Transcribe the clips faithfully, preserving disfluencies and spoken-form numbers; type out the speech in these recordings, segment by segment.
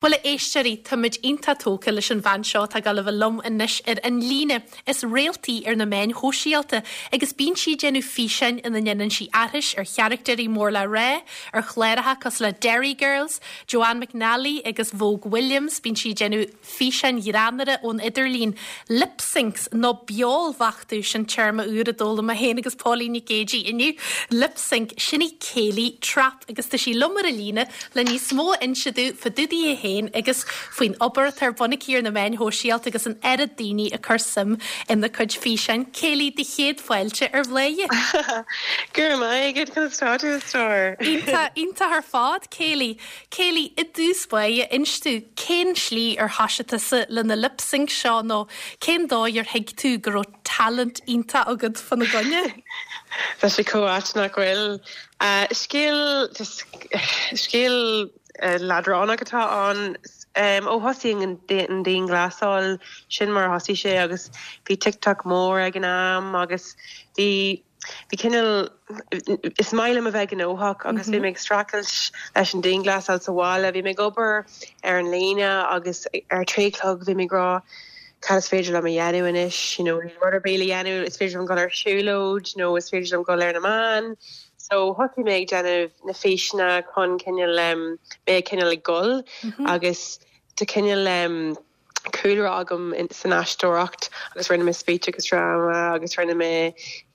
Bhuel, a éisteoirí, táimid iontach tógtha leis an bhean seo atá ag gabháil a bheith liom anois ar an líne. Is réalta í ar na meáin shóisialta agus bíonn sí ag déanamh físeáin ina ndéanann sí aithris ar charachtair mór le rá, ar chláracha cosúil le Derry Girls, Joanne McNally agus Vogue Williams. Bíonn sí ag déanamh físeáin ghreannmhara ón idirlíon. Lip syncs nó beolbheachtú, sin téarma úr a d'fhoghlaim mé féin agus Pauline Nic Géidigh inniu. Lip sync, sin í Kayleigh Trapp agus tá sí liom ar an líne le níos mó a inse dúinn fá dtaobh di féin agus faoin obair atá ar bun aici ar na meáin shóisialta agus an oiread daoine ag cur suim ina cuid físeáin. Kayleigh, do chéad fáilte ar Bhladhaire. Go raibh maith agat, conas tá tú, a stór? Iontach ar fad, Kayleigh. Kayleigh, i dtús báire, inis dúinn cén slí ar thosaigh tusa le na lip sync seo nó cén dóigh ar thuig tú go raibh talent iontach agat fána gcoinne? Tá sé chomh ait nach bhfuil. Scéal scéal leadránach atá ann. Ó thosaigh an dianghlasáil, sin mar a thosaigh sé agus bhí TikTok mór ag an am agus bhí bhí cineál is maith liom a bheith gnóthach agus bhí mé ag streachailt leis an dianghlasáil sa bhaile. Bhí mé ag obair ar an líne agus ar trí chlog bhí mé ag rá cad is féidir liom a dhéanamh anois, you know, rud ar bith le dhéanamh, is féidir liom dul ar siúlóid nó is féidir liom dul ar na meáin. So thosaigh mé ag déanamh na físeanna chun cineál um, mé cineál ag gol agus tá cineál um, cúlra agam san aisteoireacht agus rinne mé speech agus drama agus rinne mé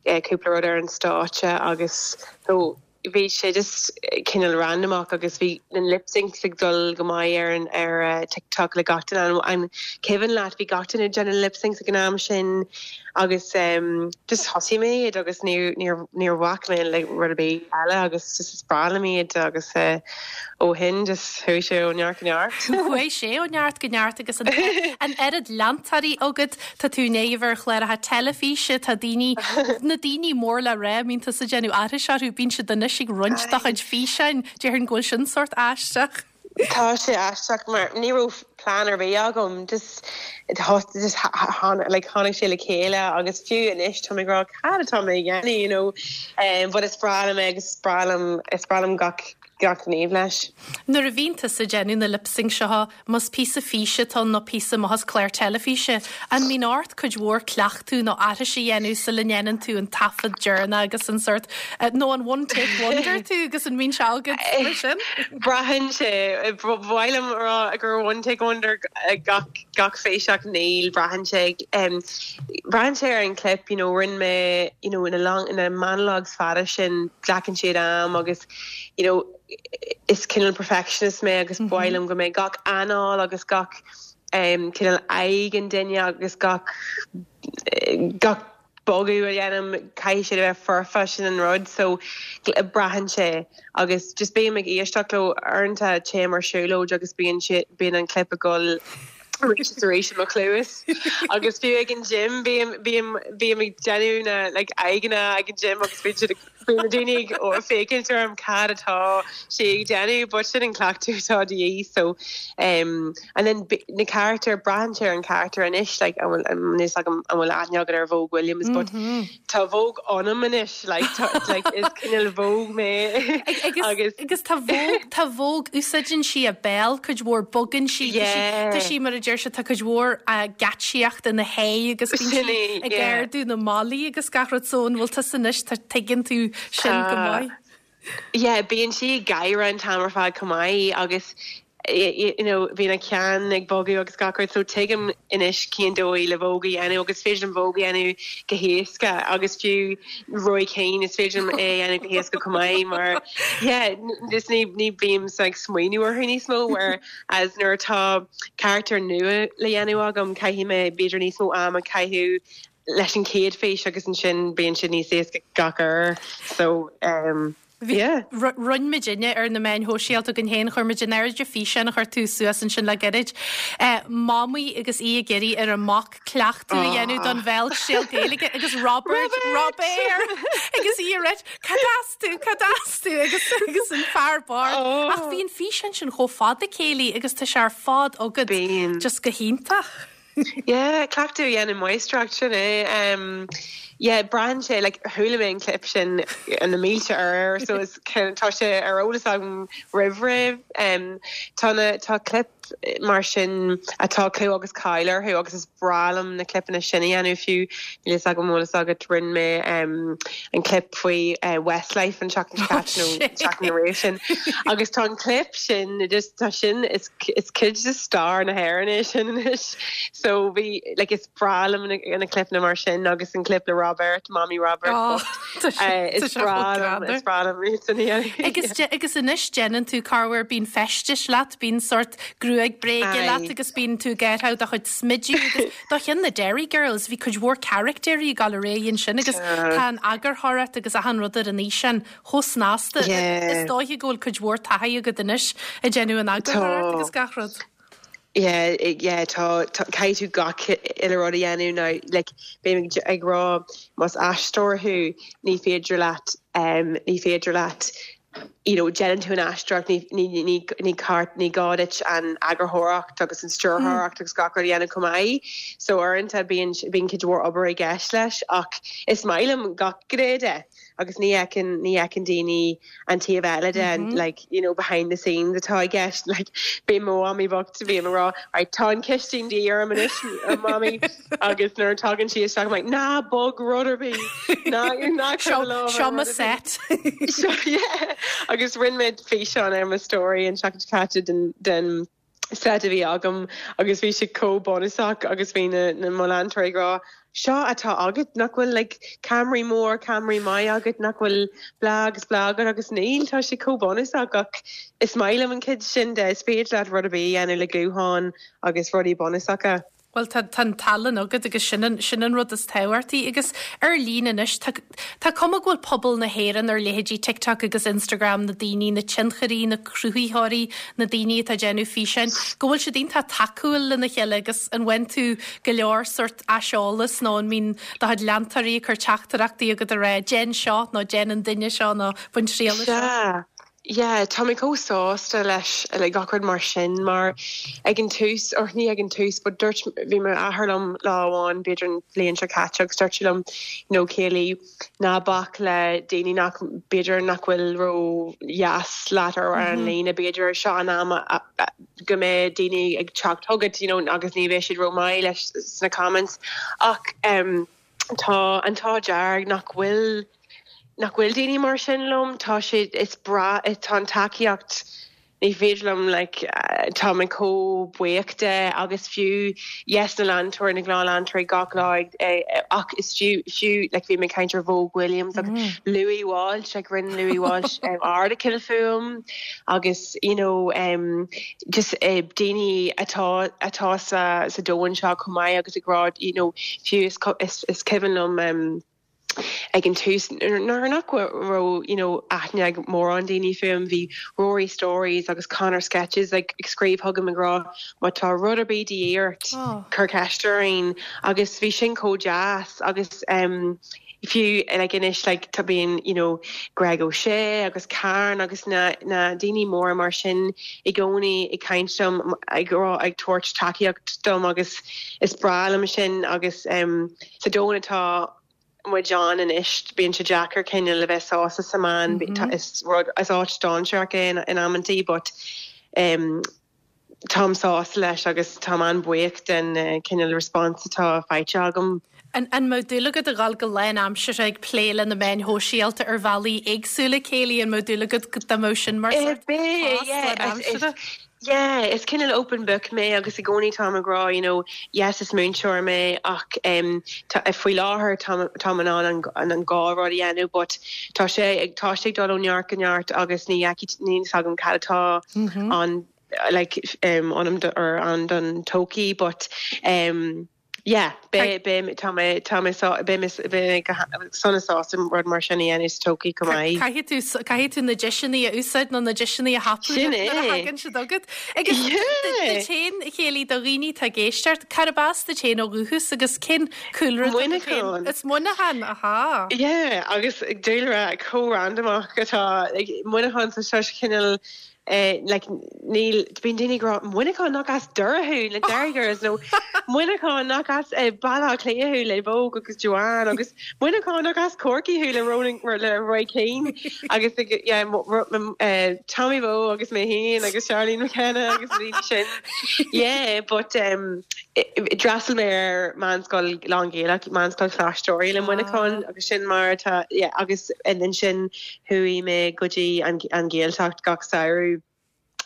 eh, cúpla rud ar an stáitse agus so bhí sé just cineál randomach agus bhí na lip syncs ag dul go maith ar an ar uh, TikTok le gach duine an cuimhin leat bhí gach duine ag déanamh lip syncs ag an am sin agus um, just thosaigh mé iad agus níor níor bhac mé le rud ar bith eile agus just is breá liom iad agus uh, ó shin just chuaigh sé ó neart go neart. Chuaigh sé ó neart go neart agus an an oiread leantóirí agat. Tá tú néomh ar chláracha teilifíse, tá daoine na daoine mór le rá, mbíonn tusa ag déanamh aithris orthu, bíonn siad anois ag roinnt do chuid físeáin, déarfainn go bhfuil sin sórt aisteach. Tá sé aisteach mar ní raibh plean ar bith agam just just like tháinig sé le chéile agus fiú anois tá mé ag rá cad atá mé ag déanamh you know um, but is breá liom agus is breá liom is breá liom gach gach gníomh leis. Nuair a bhíonn tusa ag déanamh na lip sync seo, más píosa físe atá nó píosa amach as clár teilifíse, an mbíonn ort cuid mhór cleachtadh nó aithris a dhéanamh sula ndéanann tú an taifead deireanach agus an sórt nó an one take wonder tú agus an mbíonn sé agat mar sin? Braitheann sé bhhailm rá gur one take wonder gach gach fís ach níl, braitheann sé um, braitheann sé ar an clip you know, rinne mé you know, ina long ina monologues fada sin glacann siad am agus you know, is cineál perfectionist mé agus mm -hmm. bhailim go mé gach anáil agus gach um, cineál aghaidh an duine agus gach gach bogadh a dhéanaim caithfidh sé bheith foirfe, sin an rud so braitheann sé agus just bím ag éisteacht leo uaireanta téim ar siúlóid agus bíonn sé bíonn an clip ag gol arís is arís i mo chluas agus fiú ag an gym bím bím bím ag déanamh na like aghaidheanna ag an gym agus bíonn siad bíonn na daoine ag ó féachaint orm cad atá sé ag déanamh but sin an cleachtadh atá de dhíth so um, and then na character braitheann sé an character anois like an bhfuil níos agam an bhfuil aithne agat ar Vogue Williams but mm -hmm. tá Vogue ionam anois like tá, like is cineál Vogue mé agus agus tá Vogue tá Vogue úsáideann sí a béal cuid mhór bogann sí Yeah. Tá sí mar a deir sé tá cuid mhór geáitsíocht ina haghaidh agus bíonn sí Sin é, ag yeah. ardú na malaí agus gach rud so an bhfuil tusa anois tá tuigeann tú sin go Tá. maith. Yeah, bíonn sí ag gáire an t-am ar fad chomh maith agus you know, bíonn a ceann ag bogadh agus gach rud so tuigim anois cén dóigh le Vogue a dhéanamh agus féidir liom Vogue a dhéanamh go héasca agus fiú Roy Keane is féidir liom é a dhéanamh go héasca chomh maith mar yeah, just ní ní bím ag smaoineamh orthu níos mó whereas nuair atá character nua le dhéanamh agam caithfidh mé b'fhéidir níos mó am a chaitheamh leis an chéad fhís agus ansin bíonn sé níos éasca gach uair so um, yeah. Rinne muidinne ar na meáin shóisialta againn féin chuir muid in airde físeán a chuir tú suas ansin le gairid. Eh, Mamaí agus í ag iarraidh ar a mac cleachtadh a dhéanamh don bhéaltriail Gaeilge agus Robert Robert agus í ag rá cad as tú cad as tú agus agus an fear bocht. Oh. Ach bhí an físeán sin chomh fada céilí agus tá sé ar fad agat Bíonn. just go hiontach. Yeah, cleachtadh a dhéanamh máistreacht sin é. Um, yeah, braitheann sé like chuala mé an clip sin an na mílte uair so is tá sé ar eolas agam roimh ré. Um, tá na tá clip mar sin atá clú agus cáil orthu agus is breá liom na clipeanna sin a dhéanamh fiú níl a fhios agam agat rinne mé um, an clip faoi uh, Westlife an seachtain oh, seachtain roimhe sin agus tá an clip sin just tá sin is is cuid de stair na hÉireann é sin anois so bhí like is breá liom na clipeanna mar sin agus an clip le Robert Mami Robert oh, uh, is breá is breá agus agus anois déanann tú corruair bíonn feistis leat bíonn sort gruaig bréige leat agus bíonn tú gearrtha do chuid smideadh agus do cheann na Derry Girls bhí cuid mhór caractéirí gal réon sin agus tá an eagarthóireacht agus achan rud ar an fhíseán chomh snasta is dóiche go bhfuil cuid mhór taithí agat anois ag déanamh an eagarthóireacht agus gach rud. Yeah, yeah, tá caithfidh tú gach uile rud a dhéanamh ná like, bím ag rá más aisteoir thú ní féidir leat um, ní féidir leat you know, déanann tú an aisteoireacht ní ní ní ní cart ní gá duit an eagarthóireacht agus an stiúrthóireacht mm. agus gach rud a dhéanamh chomh maith so uaireanta bíonn bíonn cuid mhór obair i gceist leis ach is maith liom gach gné de agus ní fheiceann ní fheiceann daoine an taobh eile de mm -hmm. like you know behind the scenes atá i gceist like bhí mo mhamaí bocht bhí rá right tá an chistin de dhíth anois mami agus nuair a thagann sí isteach like ná bog rud ar bith ná ná Seo set so, yeah. agus rinne mé físeán ar mo story an seachtain caite den den set a bhí agam agus bhí sé chomh bunúsach agus bhí na na mo leantóirí ag rá seo atá agat nach bhfuil like cameraí mór cameraí maith agat nach bhfuil blah agus blah agat agus níl tá sé chomh bunúsach ach is maith liom an chuid sin de is féidir leat rud ar bith a dhéanamh le guthán agus rudaí bunúsacha. Well tá an tallann agat agus sin sin an rud is tábhachtaí agus ar líne anois tá cuma go bhfuil pobal na hÉireann ar leithéidí TikTok agus Instagram na daoine na tionchairí na cruthaitheoirí na daoine atá déanamh físeáin go bhfuil siad iontach tacúil lena chéile agus an bhfaigheann tú go leor sort aiseolas nó an mbíonn do chuid leantóirí ag cur teachtaireachtaí agat a rá déan seo nó déan an duine seo nó bain triail seo. Yeah, tá mé chomh sásta leis le gach rud mar sin mar ag an tús or ní ag an tús, but dúirt bhí m'athair liom lá amháin b'fhéidir an bhliain seo caite agus dúirt liom you know, Kaylee ná bac le daoine nach b'fhéidir nach bhfuil ró dheas leat ar an mm -hmm. líne b'fhéidir seo an am go mbeidh daoine ag teacht chugat you know, agus ní bheidh siad ró-mhaith leis sna comments ach um, tá an t-ádh dearg nach bhfuil nach bhfuil daoine mar sin liom tá sé is breá tá an tacaíocht ní féidir liom like, uh, tá mé chomh buíoch de agus fiú yes na leantóirí na gnáthleantóirí gach lá eh, ach is fiú fiú like, bhí mé caint ar Vogue Williams mm. Louis Walsh like, rinne Louis Walsh um, article fúm agus you know um, just uh, daoine atá atá sa sa domhan seo chomh maith agus ag rá you know, fiú is, is, is cuimhin liom um, ag an tús nuair nach raibh you know aithne ag mórán daoine fúm bhí Rory Stories agus Connor Sketches like, ag scríobh chugam ag rá má tá rud ar bith de dhíth ort oh. cuir ceist orainn agus bhí sin chomh deas agus um, fiú like anois like tá bíonn you know Greg O'Shea agus Karen agus na na daoine mór mar sin i gcónaí ag caint dom ag rá ag tabhairt tacaíocht dom agus is breá liom sin agus um, sa domhan atá muid ann anois bíonn sé deacair cineál le bheith sásta sa man mm -hmm. is rud is áit dainséarach in in amantaí but um, Táim sásta leis agus tá an-bhuíoch den uh, cineál response atá faighte agam. An an mbeadh dúil agat a dhul go lánaimseartha ag plé le na meáin shóisialta ar bhealaí éagsúla Kaylee an mbeadh dúil agat go sin mar Yeah, is cineál open book mé agus i gcónaí tá ag rá you know, yes is múinteoir mé ach um, faoi láthair tá an an an an dhá rud a dhéanamh, but tá sé tá sé dul ó neart go neart agus ní ní agam cad atá mm -hmm. an like um, an or an don todhchaí but um, yeah be be tá mé tá mé be sona sásta rud mar sin a dhéanamh sa todhchaí chomh maith. Caithfidh tú na deiseanna a úsáid nó na deiseanna a thapú hagan se agat. Agus féin Kaylee do dhaoine atá ag éisteacht cárb as duit féin ó dhúchas agus cén cúlra Muineachán. Is Muineachán aha. Yeah, agus déire có-randomach atá Muineachán sa se cineál Uh, like níl bíonn daoine ag rá Muineachán nach as Doire thú le Derry Girls nó Muineachán nach as uh, Baile Átha Cliath thú le Vogue agus Joanne agus Muineachán nach as Corcaigh thú le Ronan le Roy Keane agus yeah, uh, Tommy Bowe agus mé féin agus Charlene McKenna agus daoine sin yeah but um, d'fhreastail mé ar meánscoil lán-Ghaelach meánscoil Choláiste Oiriall le Muineachán ah. agus sin mar tá yeah, agus ansin chuaigh mé go dtí an, an Ghaeltacht gach samhradh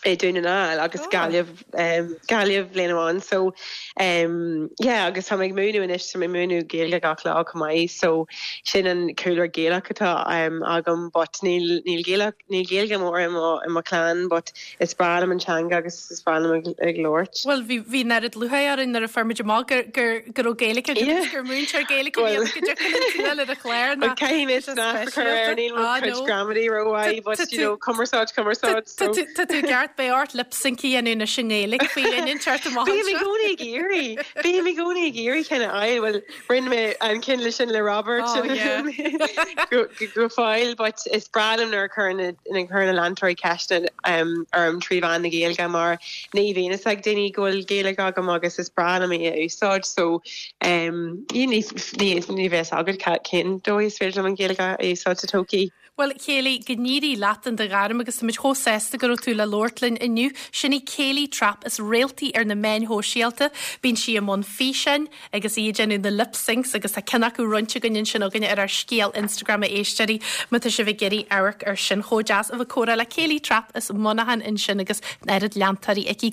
i Dún na nGall agus oh. Gaillimh um, Gaillimh bliain amháin so um, yeah, agus tá ag múineadh anois tá mé múineadh Gaeilge gach lá chomh maith so sin an cúlra Gaelach atá um, agam but níl níl Gaelach níl Gaeilge mór i mo chlann but is breá liom an teanga agus is breá liom ag, ag labhairt. Well bhí bhí nead lútha ar ar a fermid má gur gur gur ó Gaeilge gur múinteoir Gaeilge le a chléir níl gramadaí ró but you know cumarsáid cumarsáid Tá tú ceart beidh ort lip sync a dhéanamh na sin Gaeilge faoi linn teart Bím i gcónaí ag iarraidh Bím i gcónaí ag iarraidh ceann a fháil well rinne mé an ceann le sin le Robert Oh, yeah. go go fóill but is breá liom nuair a chuireann na chuireann na leantóirí ceist um, orm trí mheán na Gaeilge mar ní bhíonn a fhios ag daoine go bhfuil Gaeilge agam agus is breá liom í a úsáid so um, ní ní ní bheas agad cén dóigh is féidir liom an Ghaeilge a úsáid sa todhchaí. Well Kayleigh go n-éirí leat in do ghairm agus muid chomh sásta go raibh tú le labhairt linn inniu sin í Kayleigh Trapp is réalta í ar na meáin shóisialta, bíonn sí i mbun físeáin agus í ag déanamh na lip syncs agus tá ceann acu roinnte againn ansin againn ar ár scéal Instagram a éisteoirí má tá sibh ag iarraidh amharc ar sin chomh deas a bheith ag comhrá le Kayleigh Trapp as Muineachán ansin agus an oiread leantóirí aici.